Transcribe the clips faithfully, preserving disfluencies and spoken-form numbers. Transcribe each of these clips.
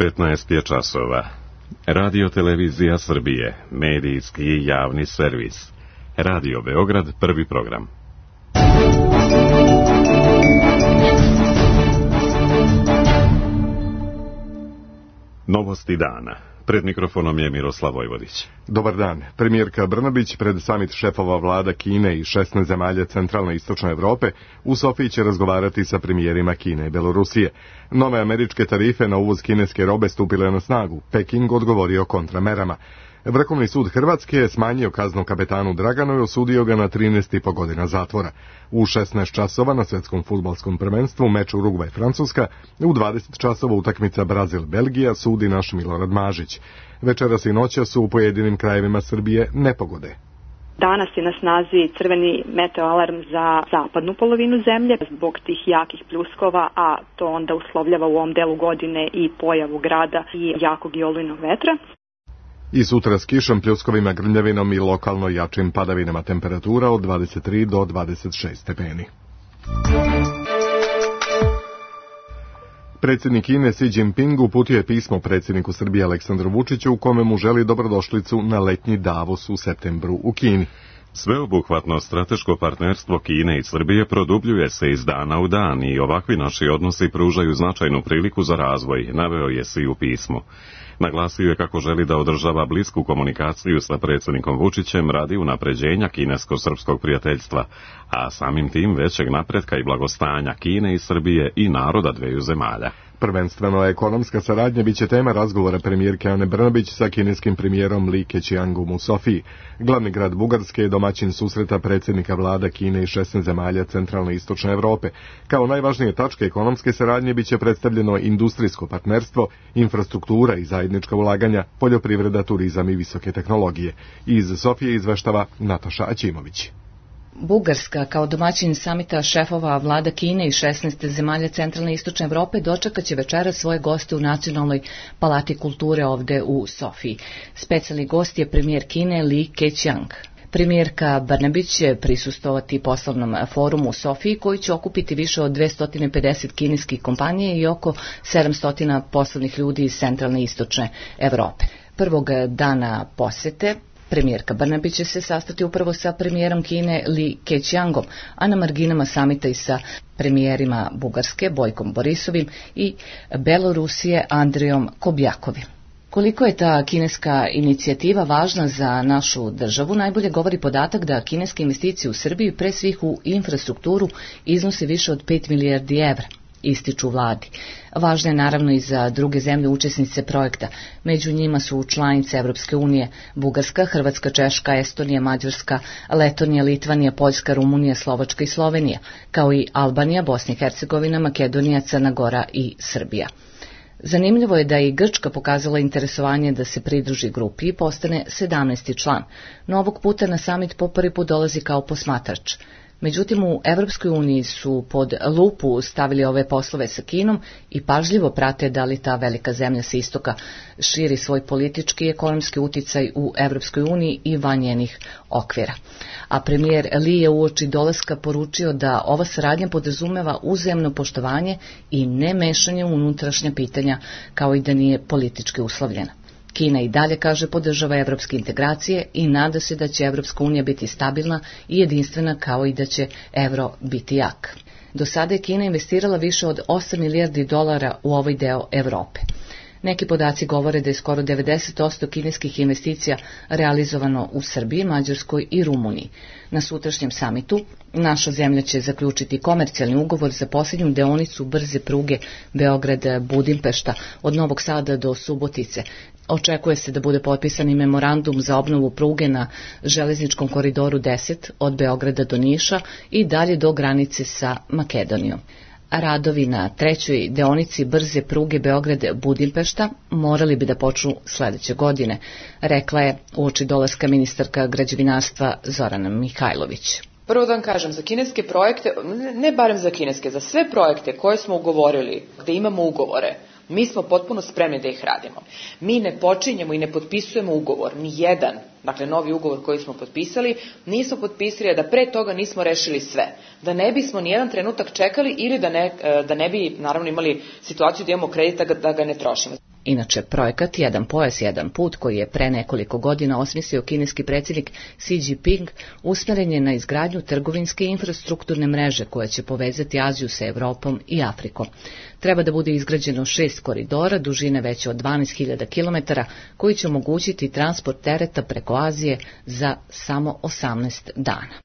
petnaest je časova. Radio Televizija Srbije, medijski i javni servis. Radio Beograd, prvi program. Novosti dana. Pred mikrofonom je Miroslav Vojvodić. Dobar dan. Premijerka Brnabić pred samit šefova vlada Kine i šesnaest zemalja centralne i istočne Evrope u Sofiji će razgovarati sa premijerima Kine i Belorusije. Nove američke tarife na uvoz kineske robe stupile na snagu. Peking odgovorio kontramerama. Vrhovni sud Hrvatske je smanjio kaznu kapetanu Draganu i osudio ga na trinaest i po godina zatvora. U šesnaest časova na svjetskom fudbalskom prvenstvu meč Urugvaj-Francuska, u dvadeset časova utakmica Brazil-Belgija sudi naš Milorad Mažić. Večeras i noća su u pojedinim krajevima Srbije nepogode. Danas je na snazi crveni meteoalarm za zapadnu polovinu zemlje zbog tih jakih pljuskova, a to onda uslovljava u ovom delu godine i pojavu grada i jakog i olujnog vetra. I sutra s kišom, pljuskovima, grmljavinom i lokalno jačim padavinama, temperatura od dvadeset tri do dvadeset šest stepeni. Predsjednik Kine Xi Jinping uputio je pismo predsjedniku Srbije Aleksandru Vučiću u kome mu želi dobrodošlicu na letnji Davos u septembru u Kini. Sveobuhvatno strateško partnerstvo Kine i Srbije produbljuje se iz dana u dan i ovakvi naši odnosi pružaju značajnu priliku za razvoj, naveo je Xi u pismu. Naglasio je kako želi da održava blisku komunikaciju sa predsjednikom Vučićem radi unapređenja kinesko-srpskog prijateljstva, a samim tim većeg napretka i blagostanja Kine i Srbije i naroda dveju zemalja. Prvenstveno ekonomska saradnja biće tema razgovora premijerke Ane Brnabić sa kineskim premijerom Li Keqiangom u Sofiji. Glavni grad Bugarske je domaćin susreta predsjednika vlada Kine i šesnaest zemalja centralne i istočne Evrope. Kao najvažnije tačke ekonomske saradnje biće predstavljeno industrijsko partnerstvo, infrastruktura i zajednička ulaganja, poljoprivreda, turizam i visoke tehnologije. Iz Sofije izveštava Nataša Aćimović. Bugarska, kao domaćin samita šefova vlada Kine i šesnaest zemalja centralne i istočne Evrope, dočekat će večeras svoje goste u Nacionalnoj palati kulture ovde u Sofiji. Specijalni gost je premijer Kine Li Keqiang. Premijerka Brnabić će prisustvovati poslovnom forumu u Sofiji koji će okupiti više od dvesta pedeset kineskih kompanija i oko sedamsto poslovnih ljudi iz centralne i istočne Evrope. Prvog dana posete premijerka Brnabić će se sastati upravo sa premijerom Kine Li Keqiangom, a na marginama samita i sa premijerima Bugarske Bojkom Borisovim i Belorusije Andrijom Kobjakovim. Koliko je ta kineska inicijativa važna za našu državu, najbolje govori podatak da kineske investicije u Srbiji, pre svih u infrastrukturu, iznose više od pet milijardi evra, ističu vladi. Važna je naravno i za druge zemlje učesnice projekta. Među njima su članice Evropske unije Bugarska, Hrvatska, Češka, Estonija, Mađarska, Letonija, Litvanija, Poljska, Rumunija, Slovačka i Slovenija, kao i Albanija, Bosna i Hercegovina, Makedonija, Crna Gora i Srbija. Zanimljivo je da je i Grčka pokazala interesovanje da se pridruži grupi i postane sedamnaesti član, no ovog puta na samit po prvi put dolazi kao posmatrač. Međutim, u Evropskoj uniji su pod lupu stavili ove poslove sa Kinom i pažljivo prate da li ta velika zemlja sa istoka širi svoj politički i ekonomski uticaj u Evropskoj uniji i van njenih okvira. A premijer Li je uoči dolaska poručio da ova saradnja podrazumeva uzajamno poštovanje i ne mešanje u unutrašnja pitanja, kao i da nije politički uslovljena. Kina i dalje, kaže, podržava evropske integracije i nada se da će Evropska unija biti stabilna i jedinstvena, kao i da će evro biti jak. Do sada je Kina investirala više od osam milijardi dolara u ovaj deo Evrope. Neki podaci govore da je skoro devedeset posto kineskih investicija realizovano u Srbiji, Mađarskoj i Rumuniji. Na sutrašnjem samitu naša zemlja će zaključiti komercijalni ugovor za posljednju deonicu brze pruge Beograd-Budimpešta od Novog Sada do Subotice. Očekuje se da bude potpisan i memorandum za obnovu pruge na železničkom koridoru deset od Beograda do Niša i dalje do granice sa Makedonijom. Radovi na trećoj deonici brze pruge Beograd-Budimpešta morali bi da počnu sledeće godine, rekla je uoči dolaska ministarka građevinarstva Zorana Mihajlović. Prvo da vam kažem, za kineske projekte, ne barem za kineske, za sve projekte koje smo ugovorili, gde imamo ugovore, mi smo potpuno spremni da ih radimo. Mi ne počinjemo i ne potpisujemo ugovor, ni jedan, dakle novi ugovor koji smo potpisali, nismo potpisali da pre toga nismo rešili sve. Da ne bismo nijedan trenutak čekali ili da ne, da ne bi naravno imali situaciju da imamo kredita da ga ne trošimo. Inače, projekat Jedan pojas, jedan put, koji je pre nekoliko godina osmislio kineski predsjednik Xi Jinping, usmeren je na izgradnju trgovinske infrastrukturne mreže koja će povezati Aziju sa Evropom i Afrikom. Treba da bude izgrađeno šest koridora, dužine veće od dvanaest hiljada kilometara, koji će omogućiti transport tereta preko Azije za samo osamnaest dana.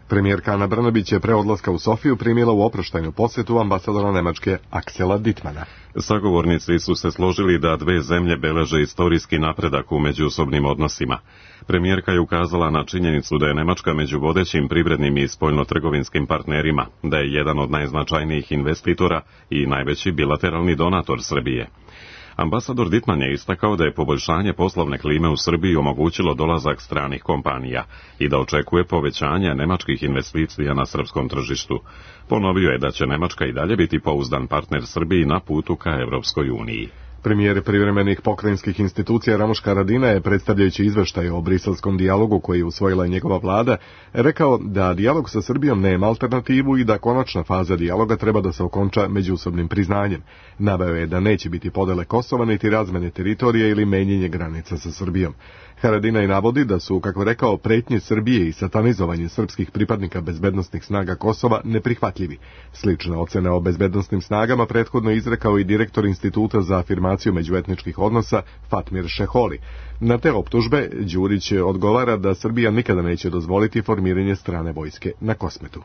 Premijerka Ana Brnabić je pre odlaska u Sofiju primila u oproštajnu posjetu ambasadora Nemačke Aksela Dittmana. Sagovornici su se složili da dve zemlje beleže istorijski napredak u međusobnim odnosima. Premijerka je ukazala na činjenicu da je Nemačka među vodećim privrednim i spoljnotrgovinskim partnerima, da je jedan od najznačajnijih investitora i najveći bilateralni donator Srbije. Ambasador Dittman je istakao da je poboljšanje poslovne klime u Srbiji omogućilo dolazak stranih kompanija i da očekuje povećanje nemačkih investicija na srpskom tržištu. Ponovio je da će Nemačka i dalje biti pouzdan partner Srbiji na putu ka Evropskoj uniji. Premijer privremenih pokrajinskih institucija Ramoš Haradina je, predstavljajući izveštaj o briselskom dijalogu koji je usvojila njegova vlada, rekao da dijalog sa Srbijom nema alternativu i da konačna faza dijaloga treba da se okonča međusobnim priznanjem. Naveo je da neće biti podele Kosova niti razmene teritorije ili menjanje granica sa Srbijom. Haradina i navodi da su, kako rekao, pretnje Srbije i satanizovanje srpskih pripadnika bezbednosnih snaga Kosova neprihvatljivi. Slične ocene o bezbednosnim snagama prethodno izrekao i direktor Instituta za afirmaciju međuetničkih odnosa Fatmir Šeholi. Na te optužbe Đurić odgovara da Srbija nikada neće dozvoliti formiranje strane vojske na Kosmetu.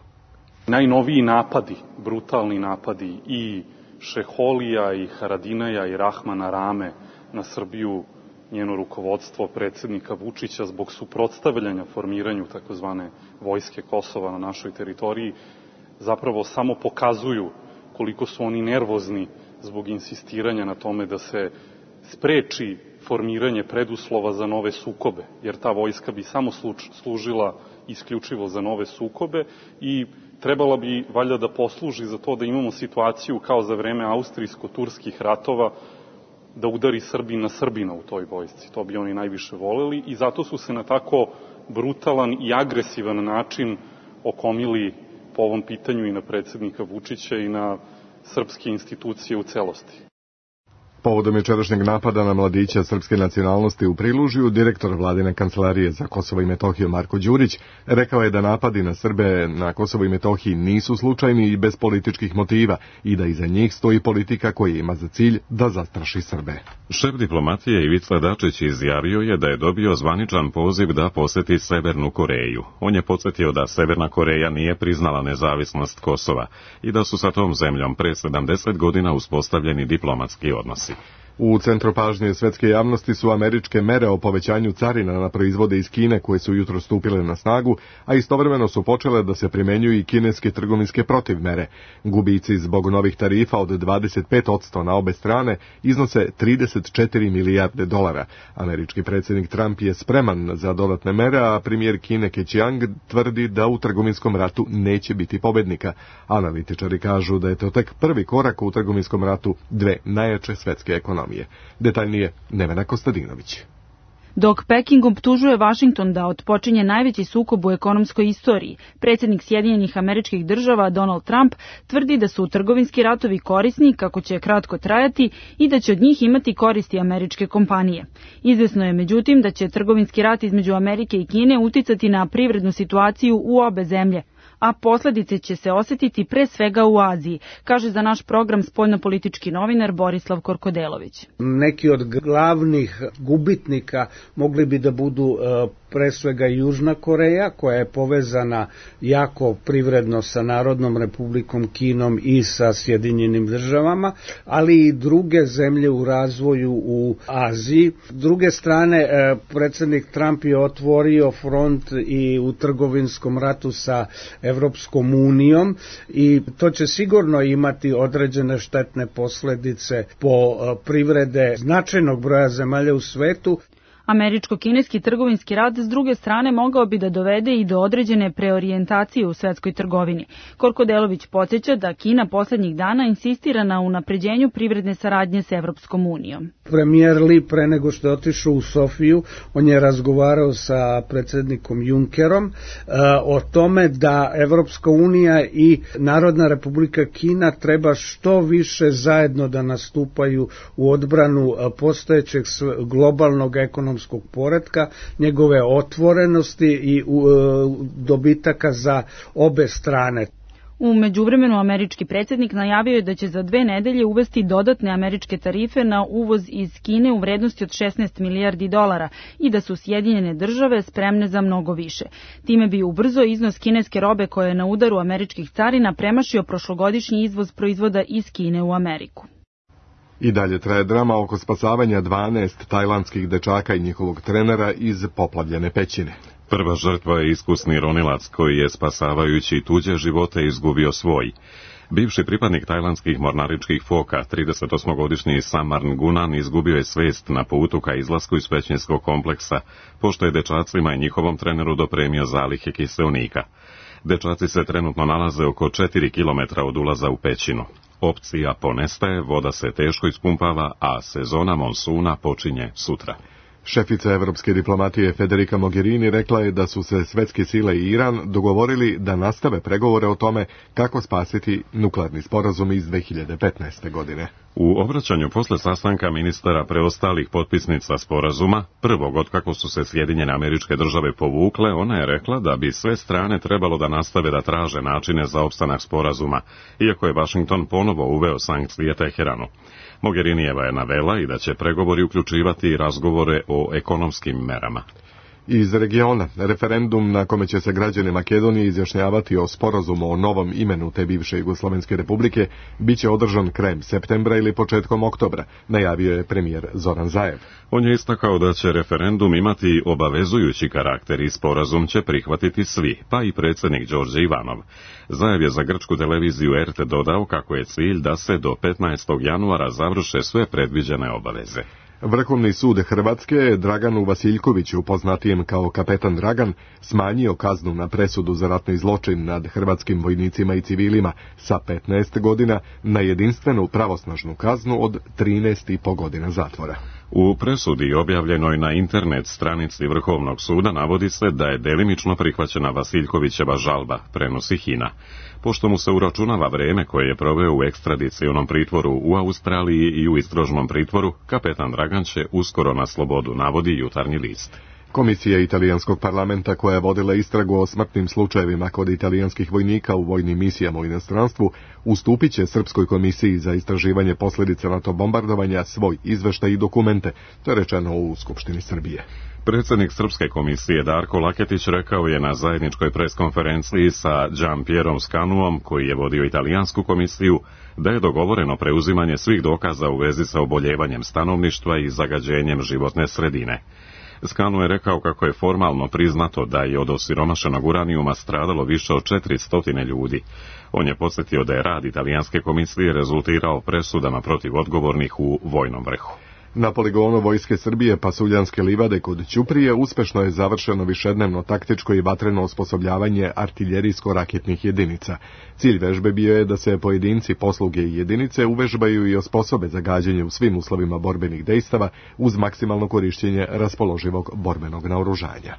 Najnoviji napadi, brutalni napadi i Šeholija i Haradinaja i Rahmana Rame na Srbiju, njeno rukovodstvo, predsjednika Vučića, zbog suprotstavljanja formiranju takozvane vojske Kosova na našoj teritoriji, zapravo samo pokazuju koliko su oni nervozni zbog insistiranja na tome da se spreči formiranje preduslova za nove sukobe, jer ta vojska bi samo služila isključivo za nove sukobe i trebala bi valjda da posluži za to da imamo situaciju kao za vreme austrijsko-turskih ratova, da udari Srbin na Srbina u toj vojsci. To bi oni najviše voleli i zato su se na tako brutalan i agresivan način okomili po ovom pitanju i na predsjednika Vučića i na srpske institucije u celosti. Povodom jučerašnjeg napada na mladića srpske nacionalnosti u Prilužju, direktor vladine kancelarije za Kosovo i Metohiju Marko Đurić rekao je da napadi na Srbe na Kosovo i Metohiji nisu slučajni i bez političkih motiva i da iza njih stoji politika koja ima za cilj da zastraši Srbe. Šef diplomatije Ivica Dačić izjavio je da je dobio zvaničan poziv da poseti Severnu Koreju. On je podsjetio da Severna Koreja nije priznala nezavisnost Kosova i da su sa tom zemljom pre sedamdeset godina uspostavljeni diplomatski odnosi. U centru pažnje svetske javnosti su američke mere o povećanju carina na proizvode iz Kine koje su jutro stupile na snagu, a istovremeno su počele da se primenjuju i kineske trgovinske protivmere. Gubici zbog novih tarifa od dvadeset pet posto na obe strane iznose trideset četiri milijarde dolara. Američki predsjednik Trump je spreman za dodatne mere, a premijer Kine Keqiang tvrdi da u trgovinskom ratu neće biti pobednika. Analitičari kažu da je to tek prvi korak u trgovinskom ratu dve najjače svetske ekonomije. Detaljnije Nevena Kostadinović. Dok Peking optužuje Vašington da otpočinje najveći sukob u ekonomskoj istoriji, predsjednik Sjedinjenih Američkih Država Donald Trump tvrdi da su trgovinski ratovi korisni, kako će kratko trajati i da će od njih imati koristi američke kompanije. Izvesno je međutim da će trgovinski rat između Amerike i Kine uticati na privrednu situaciju u obe zemlje, a posljedice će se osjetiti pre svega u Aziji, kaže za naš program spoljnopolitički novinar Borislav Korkodelović. Neki od glavnih gubitnika mogli bi da budu pre svega Južna Koreja, koja je povezana jako privredno sa Narodnom Republikom Kinom i sa Sjedinjenim Državama, ali i druge zemlje u razvoju u Aziji. S druge strane, predsjednik Trump je otvorio front i u trgovinskom ratu sa Evropskom unijom i to će sigurno imati određene štetne posljedice po privrede značajnog broja zemalja u svetu. Američko-kineski trgovinski rat s druge strane mogao bi da dovede i do određene preorijentacije u svetskoj trgovini. Korkodelović podsjeća da Kina poslednjih dana insistira na unapređenju privredne saradnje s Evropskom unijom. Premijer Li pre nego što je otišao u Sofiju, on je razgovarao sa predsjednikom Junckerom uh, o tome da Evropska unija i Narodna republika Kina treba što više zajedno da nastupaju u odbranu uh, postojećeg globalnog ekonomskog poretka, njegove otvorenosti i uh, dobitaka za obe strane. U međuvremenu američki predsjednik najavio je da će za dve nedelje uvesti dodatne američke tarife na uvoz iz Kine u vrednosti od šesnaest milijardi dolara i da su Sjedinjene države spremne za mnogo više. Time bi ubrzo iznos kineske robe koja je na udaru američkih carina premašio prošlogodišnji izvoz proizvoda iz Kine u Ameriku. I dalje traje drama oko spasavanja dvanaest tajlandskih dečaka i njihovog trenera iz poplavljene pećine. Prva žrtva je iskusni ronilac koji je spasavajući tuđe živote izgubio svoj. Bivši pripadnik tajlandskih mornaričkih foka, tridesetosmogodišnji Samarn Gunan, izgubio je svest na putu ka izlasku iz pećinskog kompleksa, pošto je dečacima i njihovom treneru dopremio zalihe kiseonika. Dečaci se trenutno nalaze oko četiri kilometra od ulaza u pećinu. Opcija ponestaje, voda se teško ispumpava, a sezona monsuna počinje sutra. Šefica evropske diplomatije Federica Mogherini rekla je da su se svetske sile i Iran dogovorili da nastave pregovore o tome kako spasiti nuklearni sporazum iz dve hiljade petnaeste. godine. U obraćanju posle sastanka ministara preostalih potpisnica sporazuma, prvog od kako su se Sjedinjene Američke Države povukle, ona je rekla da bi sve strane trebalo da nastave da traže načine za opstanak sporazuma, iako je Vašington ponovo uveo sankcije Teheranu. Mogherinijeva je navela i da će pregovori uključivati razgovore o ekonomskim merama. Iz regiona, referendum na kome će se građani Makedonije izjašnjavati o sporazumu o novom imenu te bivše Jugoslovenske republike biće održan krajem septembra ili početkom oktobra, najavio je premijer Zoran Zaev. On je istakao da će referendum imati obavezujući karakter i sporazum će prihvatiti svi, pa i predsjednik Đorđe Ivanov. Zaev je za grčku televiziju R T dodao kako je cilj da se do petnaestog januara završe sve predviđene obaveze. Vrhovni sud Hrvatske Draganu Vasiljkoviću, poznatijem kao kapetan Dragan, smanjio kaznu na presudu za ratni zločin nad hrvatskim vojnicima i civilima sa petnaest godina na jedinstvenu pravosnažnu kaznu od trinaest i po godina zatvora. U presudi objavljenoj na internet stranici Vrhovnog suda navodi se da je delimično prihvaćena Vasiljkovićeva žalba, prenosi Hina. Pošto mu se uračunava vreme koje je proveo u ekstradicionom pritvoru u Australiji i u istražnom pritvoru, kapetan Dragan će uskoro na slobodu, navodi Jutarnji list. Komisija italijanskog parlamenta koja je vodila istragu o smrtnim slučajevima kod italijanskih vojnika u vojnim misijama u inostranstvu ustupit će Srpskoj komisiji za istraživanje posljedica NATO bombardovanja svoj izveštaj i dokumente, to je rečeno u Skupštini Srbije. Predsjednik Srpske komisije Darko Laketić rekao je na zajedničkoj preskonferenciji sa Gianpierom Scanuom, koji je vodio italijansku komisiju, da je dogovoreno preuzimanje svih dokaza u vezi sa oboljevanjem stanovništva i zagađenjem životne sredine. Scanu je rekao kako je formalno priznato da je od osiromašenog uranijuma stradalo više od četiristo ljudi. On je podsjetio da je rad italijanske komisije rezultirao presudama protiv odgovornih u vojnom vrhu. Na poligonu Vojske Srbije Pasuljanske livade kod Ćuprije uspešno je završeno višednevno taktičko i vatreno osposobljavanje artiljerijsko-raketnih jedinica. Cilj vežbe bio je da se pojedinci, posluge i jedinice uvežbaju i osposobe za gađanje u svim uslovima borbenih dejstava uz maksimalno korišćenje raspoloživog borbenog naoružanja.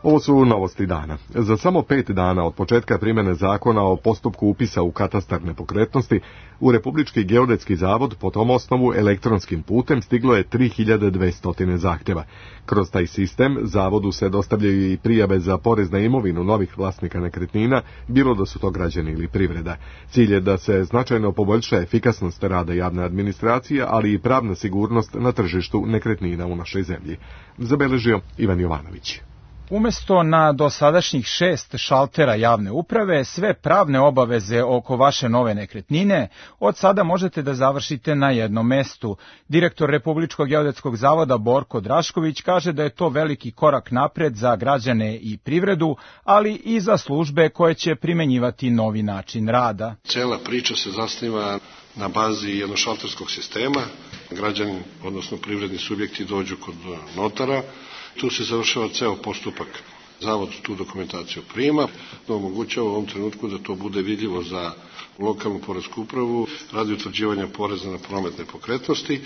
Ovo su novosti dana. Za samo pet dana od početka primjene zakona o postupku upisa u katastar nepokretnosti, u Republički geodetski zavod po tom osnovu elektronskim putem stiglo je tri hiljade dvesta zahtjeva. Kroz taj sistem zavodu se dostavljaju i prijave za porez na imovinu novih vlasnika nekretnina, bilo da su to građani ili privreda. Cilj je da se značajno poboljša efikasnost rada javne administracije, ali i pravna sigurnost na tržištu nekretnina u našoj zemlji. Zabeležio Ivan Jovanović. Umesto na dosadašnjih šest šaltera javne uprave, sve pravne obaveze oko vaše nove nekretnine od sada možete da završite na jednom mestu. Direktor Republičkog geodetskog zavoda Borko Drašković kaže da je to veliki korak napred za građane i privredu, ali i za službe koje će primenjivati novi način rada. Cela priča se zasniva na bazi jednošalterskog sistema. Građani, odnosno privredni subjekti, dođu kod notara. Tu se završava ceo postupak. Zavod tu dokumentaciju prima, da omogućava u ovom trenutku da to bude vidljivo za lokalnu poresku upravu radi utvrđivanja poreza na promet nepokretnosti,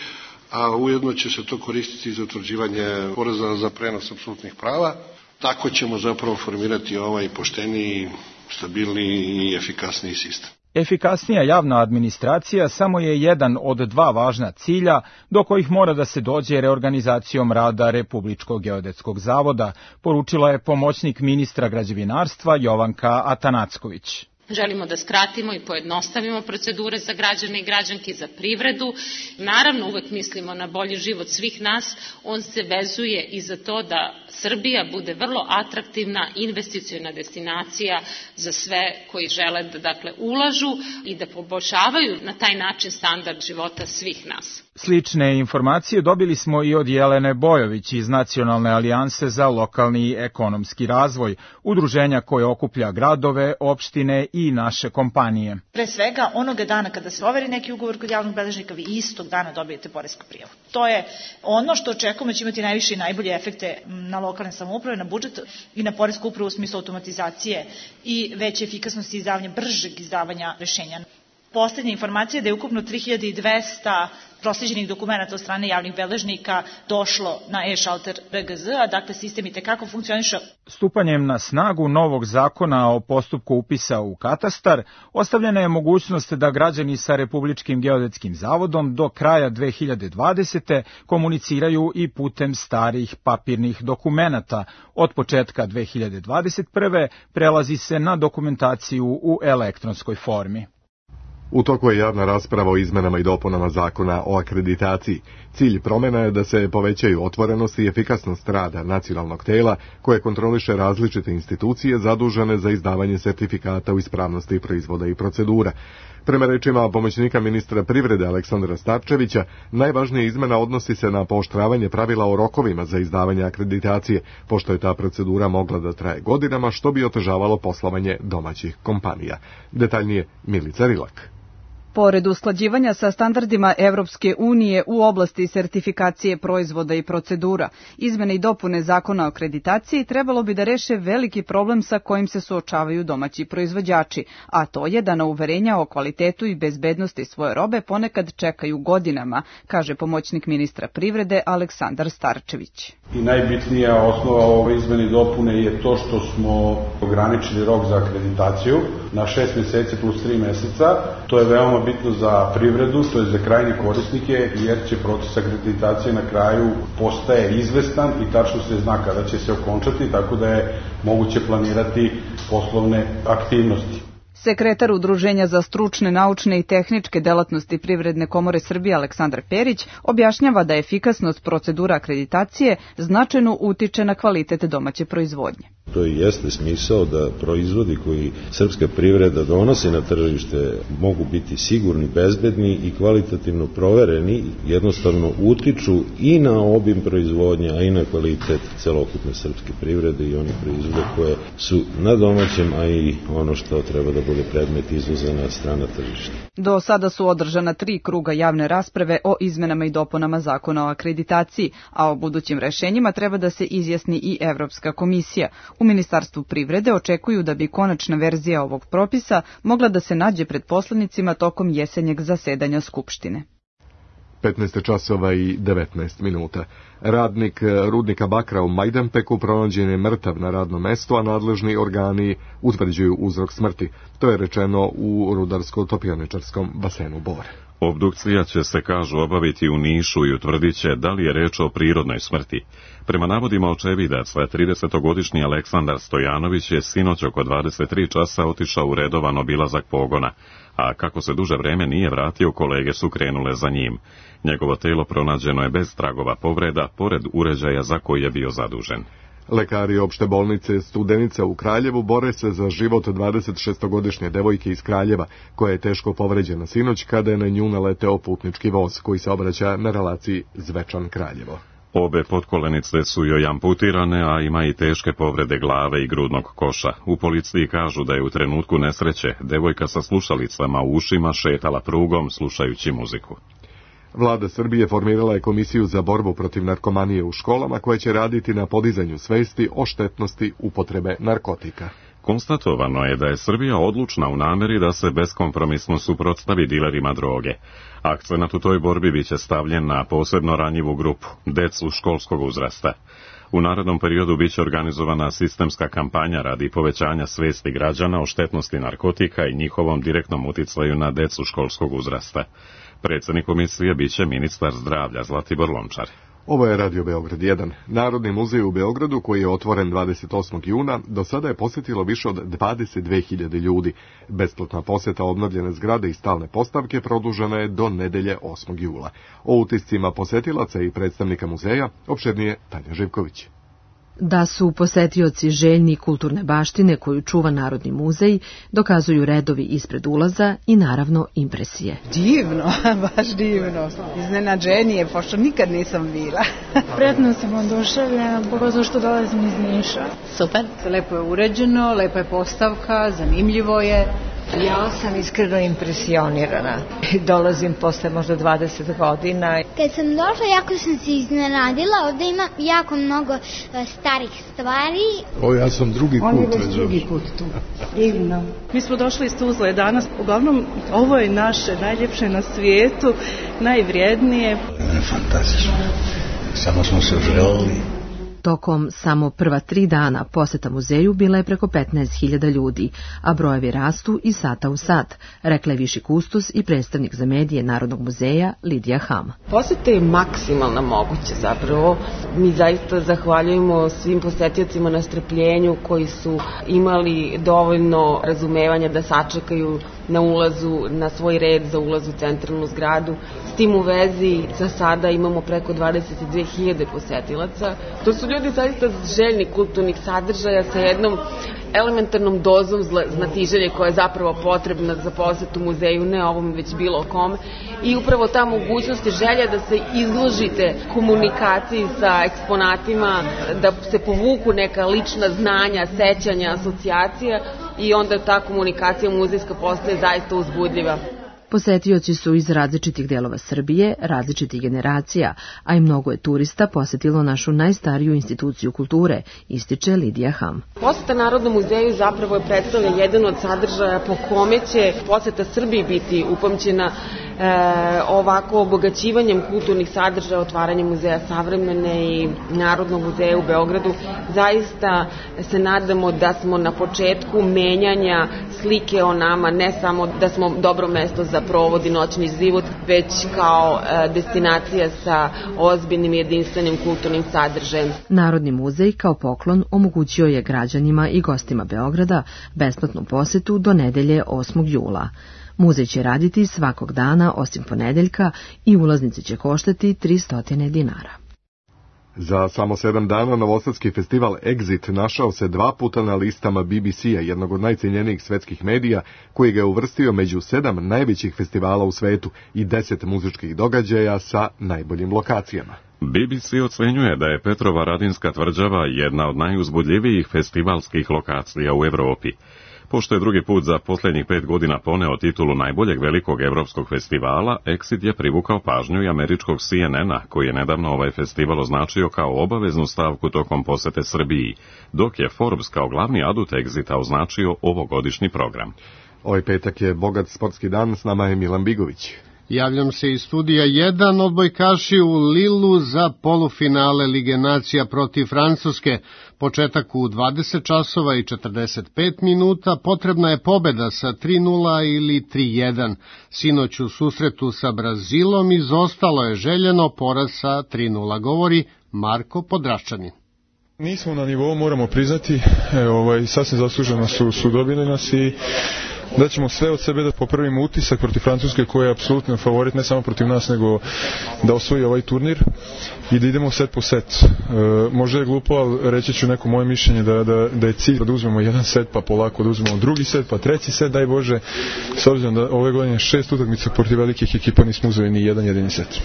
a ujedno će se to koristiti za utvrđivanje poreza za prenos apsolutnih prava. Tako ćemo zapravo formirati ovaj pošteniji, stabilniji i efikasniji sistem. Efikasnija javna administracija samo je jedan od dva važna cilja do kojih mora da se dođe reorganizacijom rada Republičkog geodetskog zavoda, poručila je pomoćnik ministra građevinarstva Jovanka Atanacković. Želimo da skratimo i pojednostavimo procedure za građane i građanke, za privredu. Naravno, uvek mislimo na bolji život svih nas. On se vezuje i za to da Srbija bude vrlo atraktivna investiciona destinacija za sve koji žele da dakle, ulažu i da poboljšavaju na taj način standard života svih nas. Slične informacije dobili smo i od Jelene Bojović iz Nacionalne alijanse za lokalni ekonomski razvoj, udruženja koje okuplja gradove, opštine i naše kompanije. Pre svega, onoga dana kada se overi neki ugovor kod javnog beležnika, vi istog dana dobijete poresku prijavu. To je ono što očekujemo će imati najviše i najbolje efekte na lokalne samouprave, na budžet i na poresku upravu u smislu automatizacije i veće efikasnosti i izdavanja, bržeg izdavanja rešenja. Poslednja informacija je da je ukupno tri hiljade dvesta prosleđenih dokumenta od strane javnih beležnika došlo na e-šalter R G Z, a dakle sistem i tekako funkcioniše. Stupanjem na snagu novog zakona o postupku upisa u katastar, ostavljena je mogućnost da građani sa Republičkim geodetskim zavodom do kraja dve hiljade dvadesete. komuniciraju i putem starih papirnih dokumenata. Od početka dve hiljade dvadeset prve. prelazi se na dokumentaciju u elektronskoj formi. U toku je javna rasprava o izmenama i dopunama zakona o akreditaciji. Cilj promjena je da se povećaju otvorenost i efikasnost rada nacionalnog tela koje kontroliše različite institucije zadužene za izdavanje sertifikata u ispravnosti proizvoda i procedura. Prema rečima pomoćnika ministra privrede Aleksandra Starčevića, najvažnija izmena odnosi se na pooštravanje pravila o rokovima za izdavanje akreditacije, pošto je ta procedura mogla da traje godinama, što bi otežavalo poslovanje domaćih kompanija. Detaljnije Milica Rilak. Pored usklađivanja sa standardima Evropske unije u oblasti sertifikacije proizvoda i procedura, izmene i dopune zakona o akreditaciji trebalo bi da reše veliki problem sa kojim se suočavaju domaći proizvođači, a to je da na uverenja o kvalitetu i bezbednosti svoje robe ponekad čekaju godinama, kaže pomoćnik ministra privrede Aleksandar Starčević. I najbitnija osnova ove izmene i dopune je to što smo ograničili rok za akreditaciju na šest meseci plus tri meseca. To je veoma bitno za privredu, to je za krajnje korisnike, jer će proces akreditacije na kraju postaje izvestan i tačno se zna kada će se okončati, tako da je moguće planirati poslovne aktivnosti. Sekretar Udruženja za stručne, naučne i tehničke delatnosti Privredne komore Srbije Aleksandar Perić objašnjava da efikasnost procedura akreditacije značajno utiče na kvalitet domaće proizvodnje. To i jeste smisao da proizvodi koji srpska privreda donosi na tržište mogu biti sigurni, bezbedni i kvalitativno provereni, jednostavno utiču i na obim proizvodnje, a i na kvalitet celokupne srpske privrede i onih proizvoda koje su na domaćem, a i ono što treba da bude predmet izvoza na strana tržišta. Do sada su održana tri kruga javne rasprave o izmenama i dopunama zakona o akreditaciji, a o budućim rešenjima treba da se izjasni i Evropska komisija. U Ministarstvu privrede očekuju da bi konačna verzija ovog propisa mogla da se nađe pred poslanicima tokom jesenjeg zasedanja Skupštine. petnaest časova i devetnaest minuta. Radnik rudnika bakra u Majdanpeku pronađen je mrtav na radnom mestu, a nadležni organi utvrđuju uzrok smrti. To je rečeno u rudarsko-topioničarskom basenu Bor. Obdukcija će se, kažu, obaviti u Nišu i utvrdit će da li je reč o prirodnoj smrti. Prema navodima očevidaca, tridesetogodišnji Aleksandar Stojanović je sinoć oko dvadeset tri časa otišao u redovan obilazak pogona, a kako se duže vreme nije vratio, kolege su krenule za njim. Njegovo telo pronađeno je bez tragova povreda, pored uređaja za koji je bio zadužen. Lekari opšte bolnice Studenica u Kraljevu bore se za život dvadesetšestogodišnje devojke iz Kraljeva, koja je teško povređena sinoć kada je na nju naleteo putnički voz koji se obraća na relaciji Zvečan-Kraljevo. Obe potkolenice su joj amputirane, a ima i teške povrede glave i grudnog koša. U policiji kažu da je u trenutku nesreće devojka sa slušalicama u ušima šetala prugom slušajući muziku. Vlada Srbije formirala je komisiju za borbu protiv narkomanije u školama koja će raditi na podizanju svesti o štetnosti upotrebe narkotika. Konstatovano je da je Srbija odlučna u nameri da se beskompromisno suprotstavi dilerima droge. Akcenat u toj borbi biće stavljen na posebno ranjivu grupu, decu školskog uzrasta. U narednom periodu biće organizovana sistemska kampanja radi povećanja svesti građana o štetnosti narkotika i njihovom direktnom uticaju na decu školskog uzrasta. Predsjednik komisije biće ministar zdravlja Zlatibor Lončar. Ovo je Radio Beograd jedan. Narodni muzej u Beogradu, koji je otvoren dvadeset osmog juna, do sada je posjetilo više od dvadeset dve hiljade ljudi. Besplatna posjeta obnovljene zgrade i stalne postavke produžena je do nedelje osmog jula. O utiscima posjetilaca i predstavnika muzeja opširnije Tanja Živković. Da su posetioci željni kulturne baštine koju čuva Narodni muzej, dokazuju redovi ispred ulaza i naravno impresije. Divno, baš divno. Iznenađenje, pošto nikad nisam bila. Prijetno sam oduševljena, pogotovo što dolazim iz Niša. Super. Lepo je uređeno, lepa je postavka, zanimljivo je. Ja sam iskreno impresionirana. Dolazim posle možda dvadeset godina. Kad sam došla, jako sam se iznenadila. Ovdje ima jako mnogo starih stvari. O, ja sam drugi put. On je već drugi put tu. Divno. Mi smo došli iz Tuzle danas. Uglavnom, ovo je naše najljepše na svijetu, najvrijednije. Fantastično. Samo smo se želeli. Tokom samo prva tri dana poseta muzeju bila je preko petnaest hiljada ljudi, a brojevi rastu iz sata u sat, rekla je viši kustos i predstavnik za medije Narodnog muzeja Lidija Ham. Poseta je maksimalna moguće zapravo. Mi zaista zahvaljujemo svim posetiocima na strpljenju koji su imali dovoljno razumevanja da sačekaju na ulazu, na svoj red za ulaz u centralnu zgradu. S tim u vezi za sada imamo preko dvadeset dve hiljade posetilaca. To su ljudi zaista željni kulturnih sadržaja sa jednom elementarnom dozom znatiželje koja je zapravo potrebna za posetu muzeju, ne ovom već bilo kome. I upravo ta mogućnost je želja da se izložite komunikaciji sa eksponatima, da se povuku neka lična znanja, sećanja, asocijacija i onda ta komunikacija muzejska postaje zaista uzbudljiva. Posetioci su iz različitih delova Srbije, različitih generacija, a i mnogo je turista posetilo našu najstariju instituciju kulture, ističe Lidija Ham. Poseta Narodnom muzeju zapravo je predstavlja jedan od sadržaja po kome će poseta Srbiji biti upamćena e, ovako obogaćivanjem kulturnih sadržaja, otvaranjem muzeja savremene i Narodnog muzeja u Beogradu. Zaista se nadamo da smo na početku menjanja slike o nama, ne samo da smo dobro mesto za provod i noćni život, već kao e, destinacija sa ozbiljnim jedinstvenim kulturnim sadržajem. Narodni muzej kao poklon omogućio je građanima i gostima Beograda besplatnu posetu do nedelje osmog jula. Muzej će raditi svakog dana osim ponedeljka i ulaznice će koštati tristo dinara. Za samo sedam dana novosadski festival Exit našao se dva puta na listama B B C-a, jednog od najcijenjenijih svetskih medija, koji ga je uvrstio među sedam najvećih festivala u svetu i deset muzičkih događaja sa najboljim lokacijama. B B C ocenjuje da je Petrova Radinska tvrđava jedna od najuzbudljivijih festivalskih lokacija u Evropi. Pošto je drugi put za posljednjih pet godina poneo titulu najboljeg velikog evropskog festivala, Exit je privukao pažnju i američkog C N N-a, koji je nedavno ovaj festival označio kao obaveznu stavku tokom posete Srbiji, dok je Forbes kao glavni adut Exita označio ovogodišnji program. Ovaj petak je bogat sportski dan, s nama je Milan Bigović. Javljam se iz studija jedan, odbojkaši u Lilu za polufinale Lige nacija protiv Francuske. Početak u dvadeset časova i četrdeset pet minuta, potrebna je pobeda sa tri nula ili tri jedan. Sinoć u susretu sa Brazilom izostalo je željeno poraz sa tri nula, govori Marko Podraščanin. Nismo na nivou, moramo priznati, e, ovaj, sasvim zasluženo su, su dobili nas i da ćemo sve od sebe da popravimo utisak protiv Francuske koja je apsolutno favorit ne samo protiv nas nego da osvoji ovaj turnir i da idemo set po set. E, možda je glupo, ali reći ću neko moje mišljenje da, da, da je cilj da uzmemo jedan set pa polako da uzmemo drugi set pa treći set, daj Bože, s obzirom da ove godine šest utakmica protiv velikih ekipa nismo uzeli ni jedan jedini set.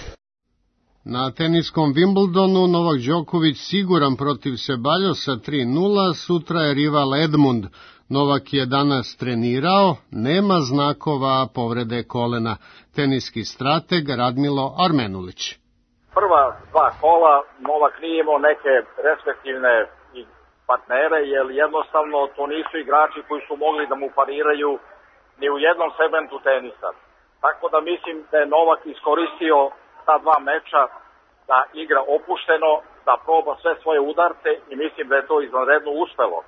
Na teniskom Wimbledonu Novak Đoković siguran protiv Ceballosa tri nula, sutra je rival Edmund. Novak je danas trenirao, nema znakova povrede kolena. Teniski strateg Radmilo Armenulić. Prva dva kola Novak nije imao neke respektivne partnere, jer jednostavno to nisu igrači koji su mogli da mu pariraju ni u jednom segmentu tenisa. Tako da mislim da je Novak iskoristio ta dva meča da igra opušteno, da proba sve svoje udarce i mislim da je to izvanredno uspelo.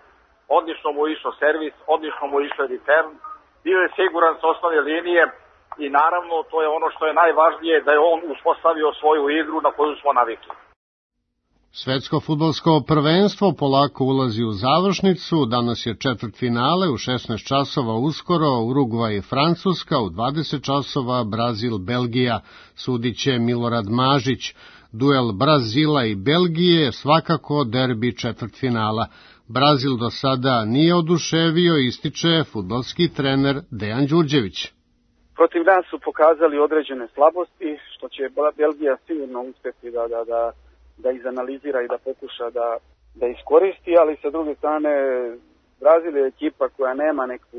Odlično mu išao servis, odlično mu išao return, bio je siguran s osnovne linije i naravno to je ono što je najvažnije, da je on uspostavio svoju igru na koju smo navikli. Svetsko fudbalsko prvenstvo polako ulazi u završnicu, danas je četvrtfinale u šesnaest časova uskoro, Urugvaj i Francuska, u dvadeset časova Brazil, Belgija, sudiće Milorad Mažić. Duel Brazila i Belgije, svakako derbi četvrtfinala. Brazil do sada nije oduševio, ističe fudbalski trener Dejan Đurđević. Protiv nas su pokazali određene slabosti, što će Belgija sigurno uspjeti da, da, da, da izanalizira i da pokuša da, da iskoristi, ali sa druge strane Brazil je ekipa koja nema neku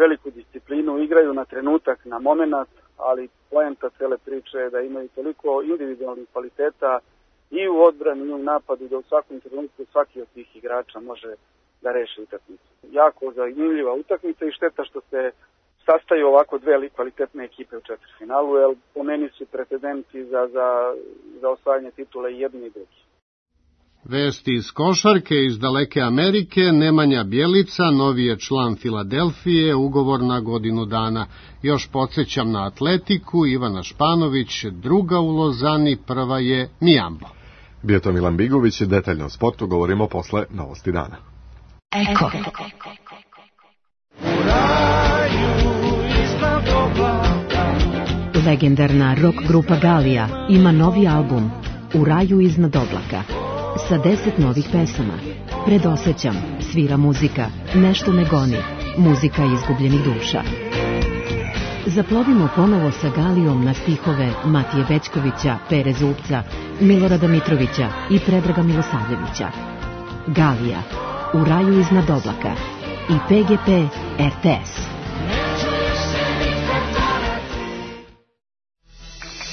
veliku disciplinu, igraju na trenutak, na moment, ali poenta cele priče je da imaju toliko individualnih kvaliteta i u odbrani i u napadu da u svakom trenutku svaki od tih igrača može da reši utakmicu. Jako zanimljiva utakmica i šteta što se sastaju ovako dve kvalitetne ekipe u četvrtfinalu, jer po meni su pretendenti za, za, za osvajanje titula i jedni i drugi. Vesti iz košarke iz daleke Amerike, Nemanja Bjelica, novi je član Filadelfije, ugovor na godinu dana. Još podsjećam na Atletiku, Ivana Španović, druga u Lozani, prva je Mijambo. Bio to Milan Bigović, detaljno o sportu govorimo posle novosti dana. Eko. Legendarna rock grupa Galija ima novi album U raju iznad oblaka sa deset novih pesama. Predosećam, svira muzika, nešto me goni, muzika izgubljenih duša. Zaplovimo ponovo sa Galijom na stihove Matije Bećkovića, Pere Zupca, Milorada Mitrovića i Predraga Milosavljevića. Galija, U raju iznad oblaka i P G P R T S.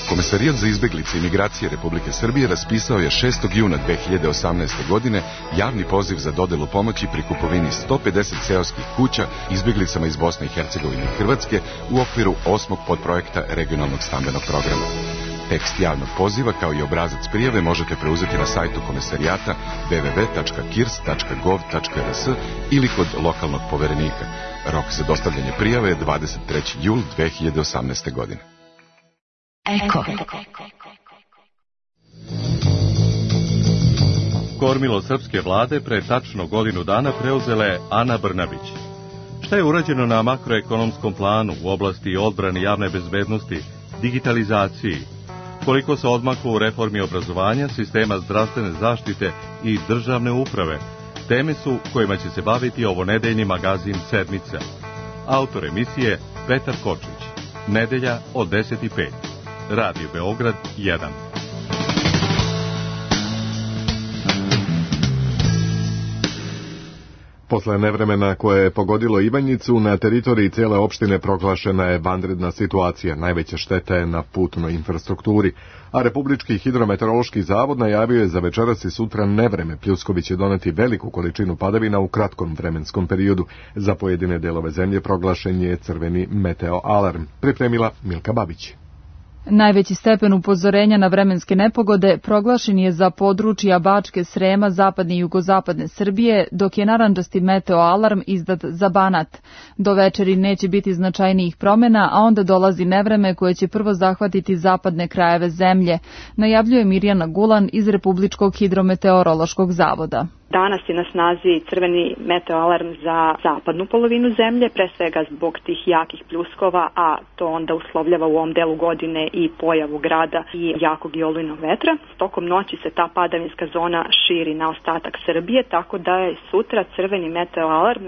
Komesarijat za izbeglice i migracije Republike Srbije raspisao je šestog juna dve hiljade osamnaeste. godine javni poziv za dodelu pomoći pri kupovini sto pedeset seoskih kuća izbeglicama iz Bosne i Hercegovine i Hrvatske u okviru osmog podprojekta regionalnog stambenog programa. Tekst javnog poziva kao i obrazac prijave možete preuzeti na sajtu komesarijata w w w tačka kirs tačka gov tačka r s ili kod lokalnog poverenika. Rok za dostavljanje prijave je dvadeset treći jul dve hiljade osamnaeste. godine. Eko. Kormilo srpske vlade pre tačno godinu dana preuzela je Ana Brnabić. Šta je urađeno na makroekonomskom planu u oblasti odbrane javne bezbednosti, digitalizaciji? Koliko se odmaklo u reformi obrazovanja, sistema zdravstvene zaštite i državne uprave? Teme su kojima će se baviti ovonedeljni magazin Sedmica. Autor emisije Petar Kočić. Nedelja od deset i pet. Radio Beograd jedan. Posle nevremena koje je pogodilo Ivanjicu, na teritoriji cijele opštine proglašena je vanredna situacija. Najveća šteta je na putnoj infrastrukturi, a Republički hidrometeorološki zavod najavio je za večeras i sutra nevreme. Pljuskovi će doneti veliku količinu padavina u kratkom vremenskom periodu. Za pojedine delove zemlje proglašen je crveni meteo alarm. Pripremila Milka Babić. Najveći stepen upozorenja na vremenske nepogode proglašen je za područja Bačke, Srema, zapadne i jugozapadne Srbije, dok je narandžasti meteo alarm izdat za Banat. Do večeri neće biti značajnijih promjena, a onda dolazi nevreme koje će prvo zahvatiti zapadne krajeve zemlje, najavljuje Mirjana Gulan iz Republičkog hidrometeorološkog zavoda. Danas je na snazi crveni meteoalarm za zapadnu polovinu zemlje, pre svega zbog tih jakih pljuskova, a to onda uslovljava u ovom delu godine i pojavu grada i jakog i olujnog vetra. Tokom noći se ta padavinska zona širi na ostatak Srbije, tako da je sutra crveni meteoalarm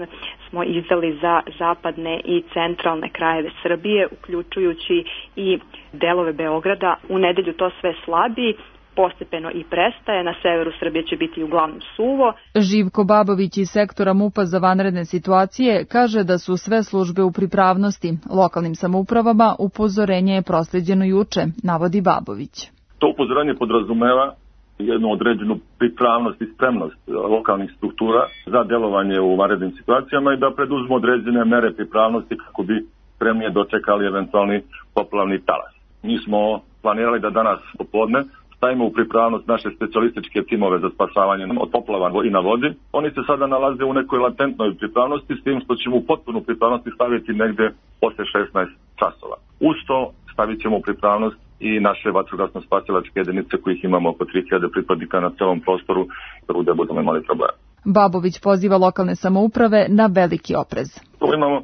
smo izdali za zapadne i centralne krajeve Srbije, uključujući i delove Beograda. U nedelju to sve slabi, postepeno i prestaje, na severu Srbije će biti uglavnom suvo. Živko Babović iz sektora MUP-a za vanredne situacije kaže da su sve službe u pripravnosti. Lokalnim samoupravama upozorenje je prosleđeno juče, navodi Babović. To upozorenje podrazumeva jednu određenu pripravnost i spremnost lokalnih struktura za delovanje u vanrednim situacijama i da preduzmu određene mere pripravnosti kako bi spremnije dočekali eventualni poplavni talas. Mi smo planirali da danas popodne stavimo u pripravnost naše specijalističke timove za spasavanje od poplava i na vodi. Oni se sada nalaze u nekoj latentnoj pripravnosti, s tim što ćemo u potpunu pripravnosti staviti negde posle šesnaest časova. Uz to stavit ćemo u pripravnost i naše vatrogasno-spasilačke jedinice kojih imamo oko tri hiljade pripadnika na celom prostoru, da budemo imali problema. Babović poziva lokalne samouprave na veliki oprez. Tu imamo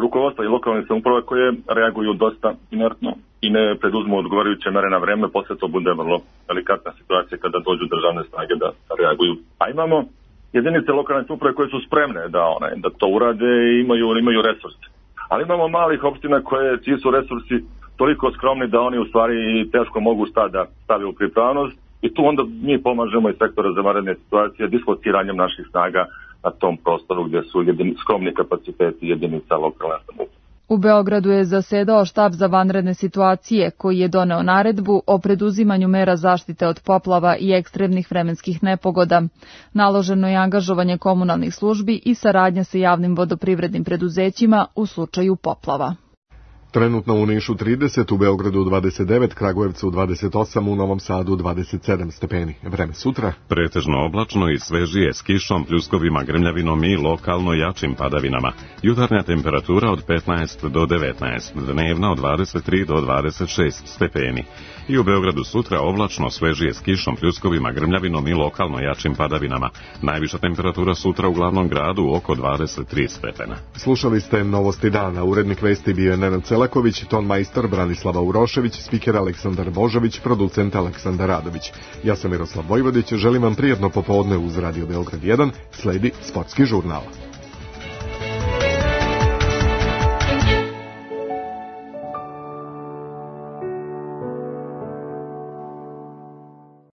rukovodstva i lokalne samouprave koje reaguju dosta inertno i ne preduzmu odgovarajuće mere na vreme, posle to bude vrlo delikatna situacija kada dođu državne snage da reaguju. A imamo jedinice lokalne samouprave koje su spremne da one da to urade i imaju imaju resurse. Ali imamo malih opština koje čiji su resursi toliko skromni da oni u stvari teško mogu sta da stave u pripravnost i tu onda mi pomažemo iz sektora za vanredne situacije dislociranjem naših snaga na tom prostoru gdje su jedini, skromni kapaciteti jedinica lokalne samouprave. U Beogradu je zasedao štab za vanredne situacije koji je doneo naredbu o preduzimanju mera zaštite od poplava i ekstremnih vremenskih nepogoda. Naloženo je angažovanje komunalnih službi i saradnja sa javnim vodoprivrednim preduzećima u slučaju poplava. Trenutno u Nišu trideset, u Beogradu dvadeset devet, Kragujevcu dvadeset osam, u Novom Sadu dvadeset sedam stepeni. Vreme sutra? Pretežno oblačno i svežije s kišom, pljuskovima, grmljavinom i lokalno jačim padavinama. Jutarnja temperatura od petnaest do devetnaest, dnevna od dvadeset tri do dvadeset šest stepeni. I u Beogradu sutra oblačno, svežije s kišom, pljuskovima, grmljavinom i lokalno jačim padavinama. Najviša temperatura sutra u glavnom gradu oko dvadeset tri stepena. Slušali ste Novosti dana. Urednik vesti bio je Nenad Selaković, ton majstor Branislava Urošević, spiker Aleksandar Božović, producent Aleksandar Radović. Ja sam Miroslav Vojvodić, želim vam prijatno popodne uz Radio Beograd jedan, sledi Sportski žurnal.